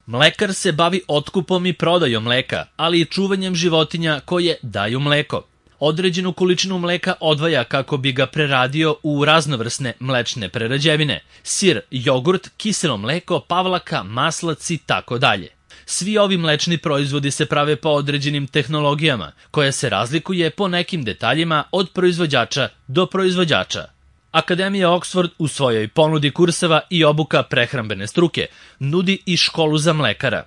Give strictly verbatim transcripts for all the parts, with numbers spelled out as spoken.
Mlekar se bavi otkupom i prodajom mleka, ali i čuvanjem životinja koje daju mleko. Određenu količinu mleka odvaja kako bi ga preradio u raznovrsne mlečne prerađevine, sir, jogurt, kiselo mleko, pavlaka, maslac i tako dalje. Svi ovi mlečni proizvodi se prave po određenim tehnologijama, koja se razlikuje po nekim detaljima od proizvođača do proizvođača. Akademija Oxford u svojoj ponudi kurseva i obuka prehrambene struke nudi i školu za mlekara.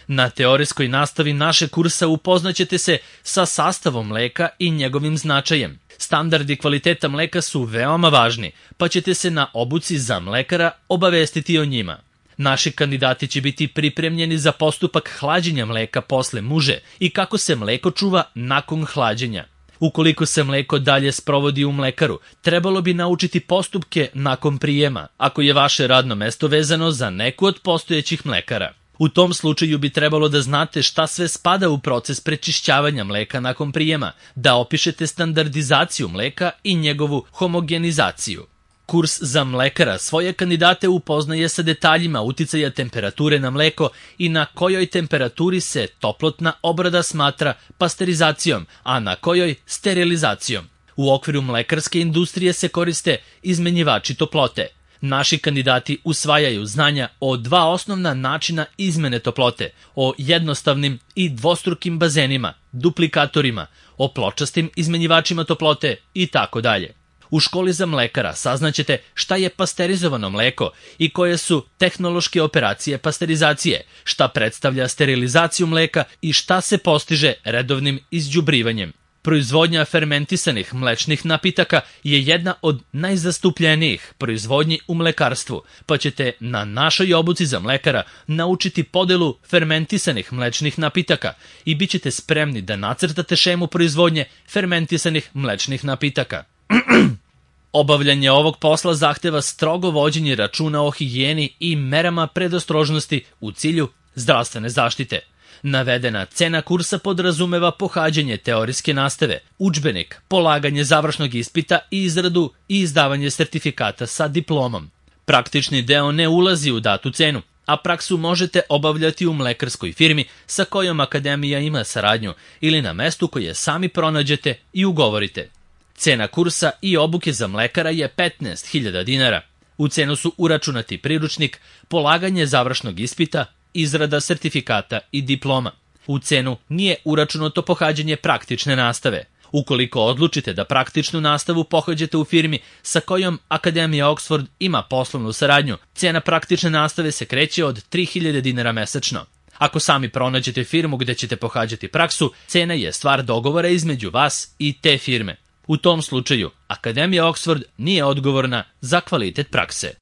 Na teorijskoj nastavi naše kursa upoznaćete se sa sastavom mleka i njegovim značajem. Standardi kvaliteta mleka su veoma važni, pa ćete se na obuci za mlekara obavestiti o njima. Naši kandidati će biti pripremljeni za postupak hlađenja mleka posle muže i kako se mleko čuva nakon hlađenja. Ukoliko se mleko dalje sprovodi u mlekaru, trebalo bi naučiti postupke nakon prijema, ako je vaše radno mesto vezano za neku od postojećih mlekara. U tom slučaju bi trebalo da znate šta sve spada u proces prečišćavanja mleka nakon prijema, da opišete standardizaciju mleka i njegovu homogenizaciju. Kurs za mlekara svoje kandidate upoznaje sa detaljima uticaja temperature na mleko i na kojoj temperaturi se toplotna obrada smatra pasterizacijom, a na kojoj sterilizacijom. U okviru mlekarske industrije se koriste izmenjivači toplote. Naši kandidati usvajaju znanja o dva osnovna načina izmene toplote, o jednostavnim i dvostrukim bazenima, duplikatorima, o pločastim izmenjivačima toplote i tako dalje. U školi za mlekara saznaćete šta je pasterizovano mleko i koje su tehnološke operacije pasterizacije, šta predstavlja sterilizaciju mleka i šta se postiže redovnim izđubrivanjem. Proizvodnja fermentisanih mlečnih napitaka je jedna od najzastupljenijih proizvodnji u mlekarstvu, pa ćete na našoj obuci za mlekara naučiti podelu fermentisanih mlečnih napitaka i bit ćete spremni da nacrtate šemu proizvodnje fermentisanih mlečnih napitaka. Obavljanje ovog posla zahteva strogo vođenje računa o higijeni i merama predostrožnosti u cilju zdravstvene zaštite. Navedena cena kursa podrazumeva pohađanje teorijske nastave, udžbenik, polaganje završnog ispita i izradu i izdavanje sertifikata sa diplomom. Praktični deo ne ulazi u datu cenu, a praksu možete obavljati u mlekarskoj firmi sa kojom akademija ima saradnju ili na mestu koje sami pronađete i ugovorite. Cena kursa i obuke za mlekara je petnaest hiljada dinara. U cenu su uračunati priručnik, polaganje završnog ispita, izrada sertifikata i diploma. U cenu nije uračunato pohađanje praktične nastave. Ukoliko odlučite da praktičnu nastavu pohađate u firmi sa kojom Akademija Oxford ima poslovnu saradnju, cena praktične nastave se kreće od tri hiljade dinara mesečno. Ako sami pronađete firmu gde ćete pohađati praksu, cena je stvar dogovora između vas i te firme. U tom slučaju, Akademija Oxford nije odgovorna za kvalitet prakse.